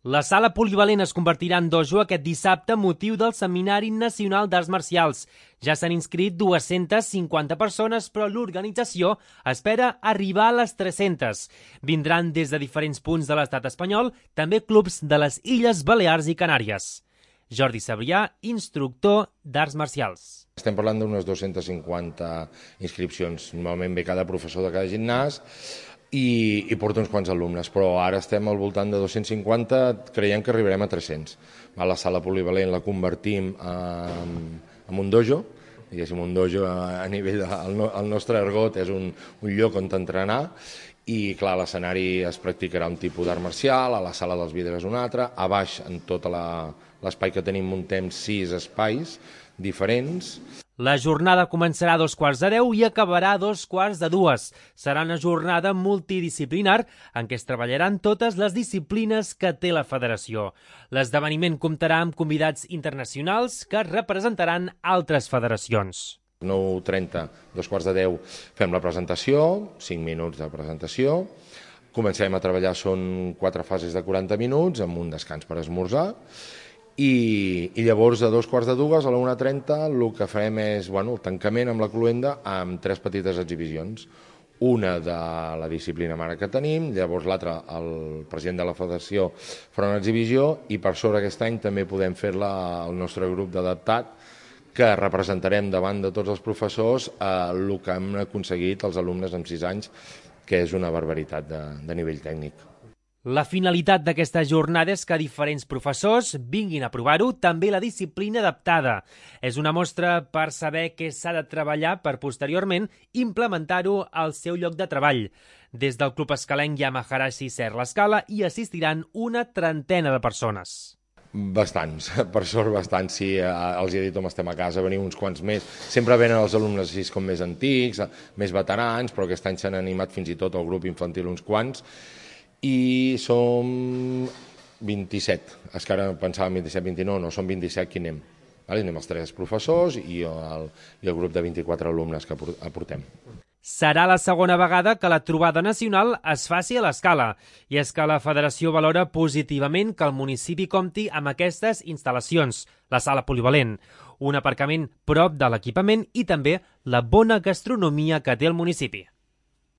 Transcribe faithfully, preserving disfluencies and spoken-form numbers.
La sala polivalent es convertirà en dojo aquest dissabte motiu del Seminari Nacional d'Arts Marcials. Ja s'han inscrit dues-centes cinquanta persones, però l'organització espera arribar a les tres-centes. Vindran des de diferents punts de l'estat espanyol, també clubs de les Illes Balears i Canàries. Jordi Sabrià, instructor d'arts marcials. Estem parlant d'unes dues-centes cinquanta inscripcions. Normalment ve cada professor de cada gimnàs i, i porta uns quants alumnes, però ara estem al voltant de dos-cents cinquanta, creiem que arribarem a tres-cents. A la sala polivalent la convertim en, en un dojo, diguéssim, un dojo a, a nivell del de, el nostre argot és un, un lloc on entrenar, i clar, a l'escenari es practicarà un tipus d'art marcial, a la sala dels vidres un altre, a baix en tot l'espai que tenim muntem sis espais diferents. La jornada començarà a dos quarts de deu i acabarà a dos quarts de dues. Serà una jornada multidisciplinar en què es treballaran totes les disciplines que té la federació. L'esdeveniment comptarà amb convidats internacionals que representaran altres federacions. nou trenta, dos quarts de deu, fem la presentació, cinc minuts de presentació. Comencem a treballar, són quatre fases de quaranta minuts, amb un descans per esmorzar. I, i llavors a dos quarts de dues, a la una trenta, el que farem és bueno, el tancament amb la cloenda amb tres petites exhibicions. Una de la disciplina mare que tenim, llavors l'altra, el president de la federació farà una exhibició i per sobre aquest any també podem fer-la al nostre grup d'adaptat, que representarem davant de tots els professors eh, el que hem aconseguit els alumnes en sis anys, que és una barbaritat de, de nivell tècnic. La finalitat d'aquesta jornada és que diferents professors vinguin a provar-ho, també la disciplina adaptada. És una mostra per saber què s'ha de treballar per posteriorment implementar-ho al seu lloc de treball. Des del Club Escalenc hi ha Maharashi Ser l'Escala i assistiran una trentena de persones. Bastants, per sort bastants, sí, els he dit on estem a casa, venim uns quants més. Sempre venen els alumnes així com més antics, més veterans, però aquest any s'han animat fins i tot el grup infantil uns quants. I som vint-i-set, és que ara pensàvem vint-i-set, vint-i-nou, no, som vint-i-set qui anem. Anem els tres professors i el, i el grup de vint-i-quatre alumnes que aportem. Serà la segona vegada que la trobada nacional es faci a l'Escala, i és que la federació valora positivament que el municipi compti amb aquestes instal·lacions, la sala polivalent, un aparcament prop de l'equipament i també la bona gastronomia que té el municipi.